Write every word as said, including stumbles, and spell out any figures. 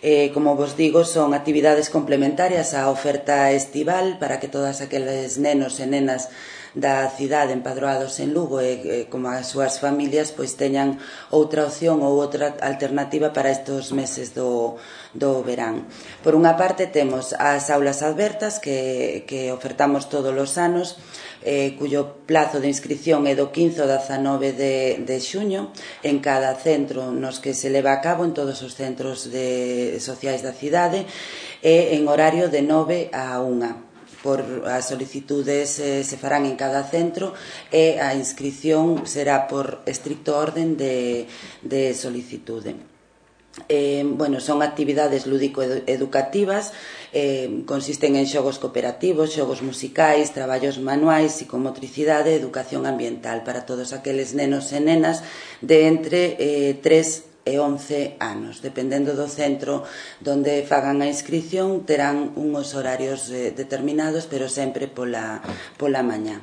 Eh, como vos digo, son actividades complementarias á oferta estival para que todas aqueles nenos e nenas da cidade empadroados en Lugo e, e como as súas familias pois teñan outra opción ou outra alternativa para estes meses do, do verán. Por unha parte temos as aulas abertas que, que ofertamos todos os anos, eh, cuyo plazo de inscripción é do quince ao dezanove de, de xuño en cada centro nos que se leva a cabo, en todos os centros de, sociais da cidade, e en horario de nove a unha. Por as solicitudes eh, se farán en cada centro e a inscripción será por estricto orden de, de solicitude. Eh, bueno, son actividades lúdico-educativas, eh, consisten en xogos cooperativos, xogos musicais, traballos manuais, psicomotricidade e educación ambiental para todos aqueles nenos e nenas de entre eh, tres e once anos. Dependendo do centro donde fagan a inscripción terán unhos horarios eh, determinados, pero sempre pola, pola mañá.